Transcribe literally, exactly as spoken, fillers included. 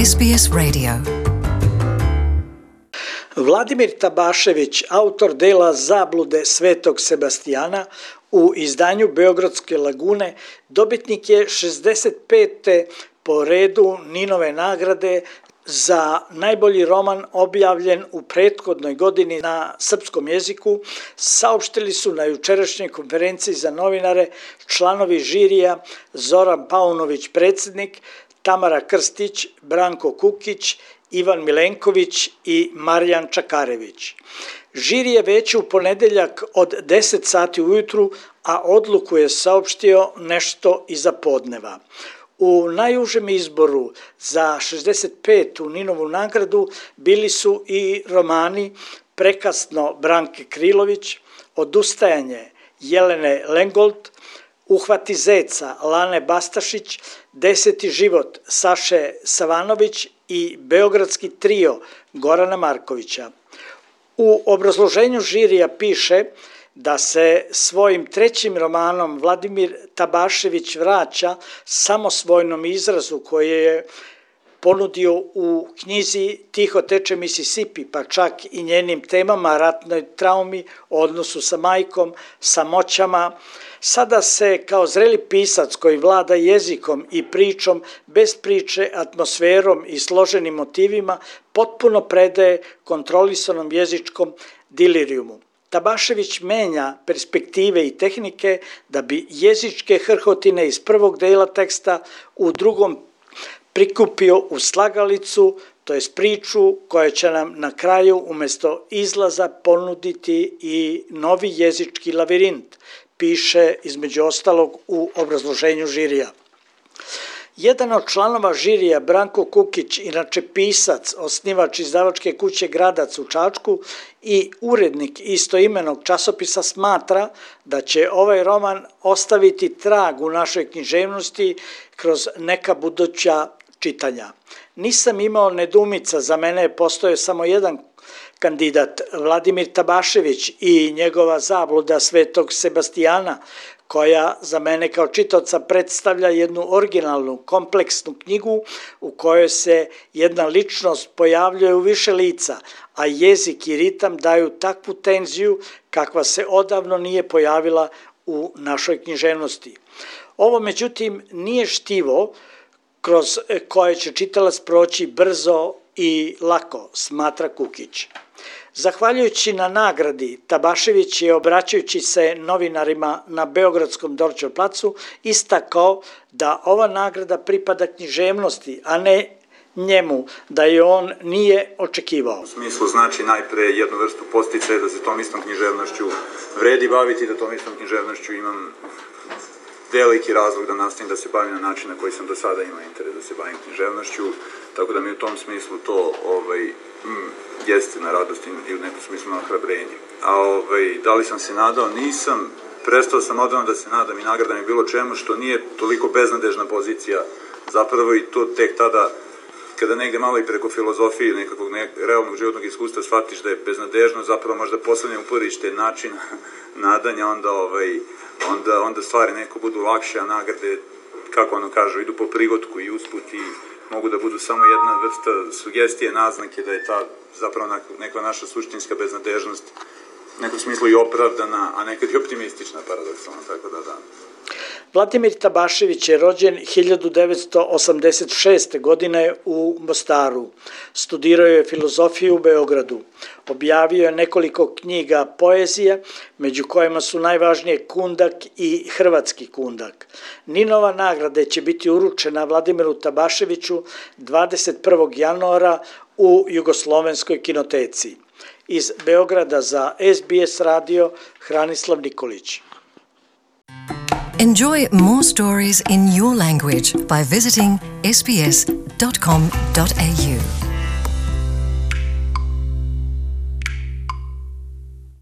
S B S Radio. Vladimir Tabašević, autor dela Zablude Svetog Sebastijana u izdanju Beogradske lagune, dobitnik je šezdeset pete po redu Ninove nagrade za najbolji roman objavljen u prethodnoj godini na srpskom jeziku, saopštili su na jučerašnjoj konferenciji za novinare članovi žirija Zoran Paunović, predsjednik, Tamara Krstić, Branko Kukić, Ivan Milenković i Marijan Čakarević. Žiri je već u ponedeljak od deset sati ujutru, a odluku je saopštio nešto iza podneva. U najužem izboru za šezdeset petu Ninovu nagradu bili su i romani Prekasno Branke Krilović, Odustajanje Jelene Lengold, Uhvati zeca Lane Bastašić, Deseti život Saše Savanović i Beogradski trio Gorana Markovića. U obrazloženju žirija piše da se svojim trećim romanom Vladimir Tabašević vraća samosvojnom izrazu koje je ponudio u knjizi Tiho teče Mississippi, pa čak i njenim temama, ratnoj traumi, odnosu sa majkom, samoćama. Sada se kao zreli pisac koji vlada jezikom i pričom, bez priče, atmosferom i složenim motivima, potpuno predaje kontrolisanom jezičkom dilirijumu. Tabašević menja perspektive i tehnike da bi jezičke hrhotine iz prvog dela teksta u drugom prikupio u slagalicu, to jest priču koja će nam na kraju umjesto izlaza ponuditi i novi jezički lavirint, piše između ostalog u obrazloženju žirija. Jedan od članova žirija, Branko Kukić, inače pisac, osnivač izdavačke kuće Gradac u Čačku i urednik istoimenog časopisa, smatra da će ovaj roman ostaviti trag u našoj književnosti kroz neka buduća čitanja. Nisam imao nedoumica, za mene je postojao samo jedan kandidat, Vladimir Tabašević i njegova Zabluda Svetog Sebastijana, koja za mene kao čitaoca predstavlja jednu originalnu, kompleksnu knjigu u kojoj se jedna ličnost pojavljuje u više lica, a jezik i ritam daju takvu tenziju kakva se odavno nije pojavila u našoj književnosti. Ovo, međutim, nije štivo kroz koje će čitalac proći brzo i lako, smatra Kukić. Zahvaljujući na nagradi, Tabašević je, obraćajući se novinarima na Beogradskom Dorćol placu, istakao da ova nagrada pripada književnosti, a ne njemu, da je on nije očekivao. U smislu znači najpre jednu vrstu posticaja da se tom istom književnošću vredi baviti, da tom istom književnošću imam veliki razlog da nastavim da se bavim na način na koji sam do sada imao interes da se bavim književnošću, tako da mi u tom smislu to ovaj, mm, jeste na radost i u nekom smislu na ohrabrenje. A ovaj, da li sam se nadao? Nisam. Prestao sam odavno da se nadam i nagradam i bilo čemu što nije toliko beznadežna pozicija. Zapravo i to tek tada, kada negde malo i preko filozofije ili nekakvog ne, realnog životnog iskustva shvatiš da je beznadežno, zapravo možda poslednje uporište način nadanja, onda, ovaj, onda, onda stvari neko budu lakše, a nagrade, kako ono kažu, idu po prigotku i usput i mogu da budu samo jedna vrsta sugestije, naznake da je ta zapravo neka naša suštinska beznadežnost u nekom smislu i opravdana, a nekad i optimistična, paradoksalno, tako da da. Vladimir Tabašević je rođen hiljadu devetsto osamdeset šeste. godine u Mostaru. Studirao je filozofiju u Beogradu. Objavio je nekoliko knjiga poezije, među kojima su najvažnije Kundak i Hrvatski kundak. Ninova nagrada će biti uručena Vladimiru Tabaševiću dvadeset prvog januara u Jugoslovenskoj kinoteci. Iz Beograda za S B S radio, Hranislav Nikolić. Enjoy more stories in your language by visiting s b s dot com dot a u.